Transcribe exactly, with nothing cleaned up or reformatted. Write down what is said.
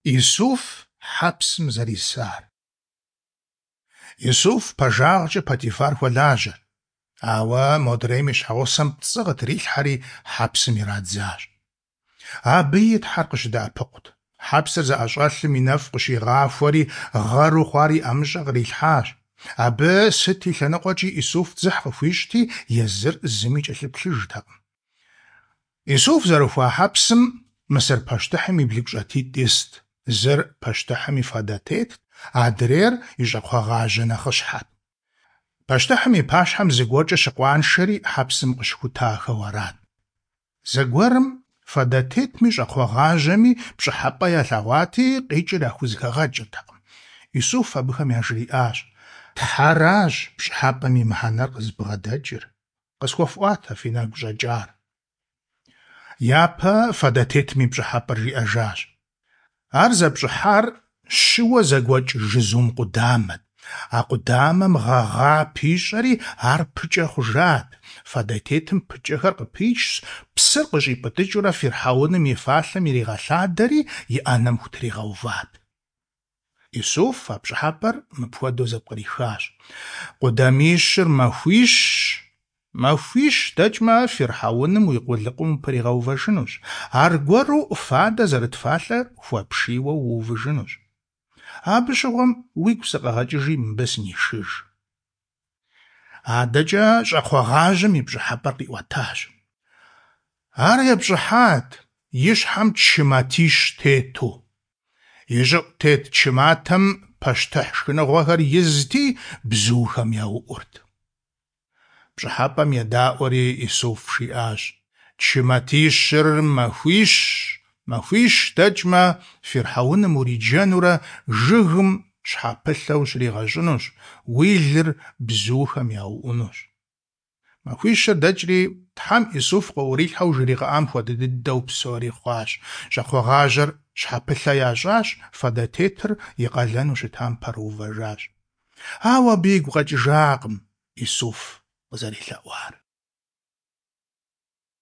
Исуф хьэпсым зэрисар. Исуф пэжагъкӀэ Потифар хуэлажьэрт, ауэ модрейм и щхьэгъусэм пцӀы къытрилъхьэри хьэпсым ирадзащ. Абыи Тхьэр къыщыдэӀэпыкъут. Хьэпсыр зыӀэщӀэлъым и нэфӀ къыщигъахуэри, гъэру хъуар и ӀэмыщӀэ кърилъхьащ. Абы сыт и лъэныкъуэкӀи Исуф дзыхь къыхуищӀти, езыр зыми кӀэлъыплъыжтэкъым. Исуф зэрыхуа хьэпсым Мысыр пащтыхьым и блыгущӀэтитӀ ист. Зыр пащтыхьым и фадэтетт, адрейр и щӀакхъуэгъажьэ нэхъыщхьэт. Пащтыхьым и пащхьэм зыгуэркӀэ щыкъуаншэри хьэпсым къыщыхутахэу арат. Зэгуэрым фадэтетми щӀакхъуэгъажьэми пщӀыхьэпӀэ ялъэгъуати, къикӀыр яхузэхэгъэкӀыртэкъым. Исуф абыхэм яжриӀащ: «Тхьэращ пщӀыхьэпӀэм и мыхьэнэр къызыбгъэдэкӀыр. КъысхуэфӀуатэ фи нэгу щӀэкӀар». Япэ фадэтетым и пщӀыхьэпӀэр жиӀэжащ. Ар зэпщӀыхьар щыуэ зэгуэкӀ жызум къудамэт. А къудамэм гъэгъа пищӀэри, ар пыкӀэ хъужат. Фадэтетым пыкӀэхэр къыпичщ, псыр къыщӀипӀытӀыкӀыурэ фирхьэуным и фалъэм иригъэлъадэри и Ӏэнэм хутригъэуват. Исуф а пщӀыхьэпӀэр мыпхуэдэу зэпкърихащ: Къудамищыр махуищщ, махуищ дэкӀмэ, фирхьэуным уи къулыкъум упэригъэувэжынущ, аргуэру фадэ зэрыт фалъэр хуэпшийуэ уувыжынущ. Абы щыгъуэм уигу сыкъэгъэкӀыжи, мыбы сынишыж. АдэкӀэ щӀакхъуэгъажьэм и пщӀыхьэпӀэр къиӀуэтащ. Ар епщӀыхьат и щхьэм чы матищ тету. И щӀыӀу тет чы матэм пащтыхь шхыныгъуэхэр изти, бзухэм яуӀурт. ПщӀыхьэпӀэм едаӀуэри, Исуф жиӀащ: «Чы матищыр махуищщ, махуищ дэкӀмэ, фирхьэуным уриджэнурэ жыгым щхьэпылъэ ущригъэщӀынущ, уи лыр бзухэм яуӀунущ». Махуищыр дэкӀри, Тхьэм Исуф къыӀурилъхьэу жригъэӀам хуэдэ дыдэу псори хъуащ. ЩӀакхъуэгъажьэр щхьэпылъэ ящӀащ, фадэтетыр и къалэну щытам пэрыувэжащ. Ауэ абы игу къэкӀыжакъым Исуф къызэрелъэӀуар.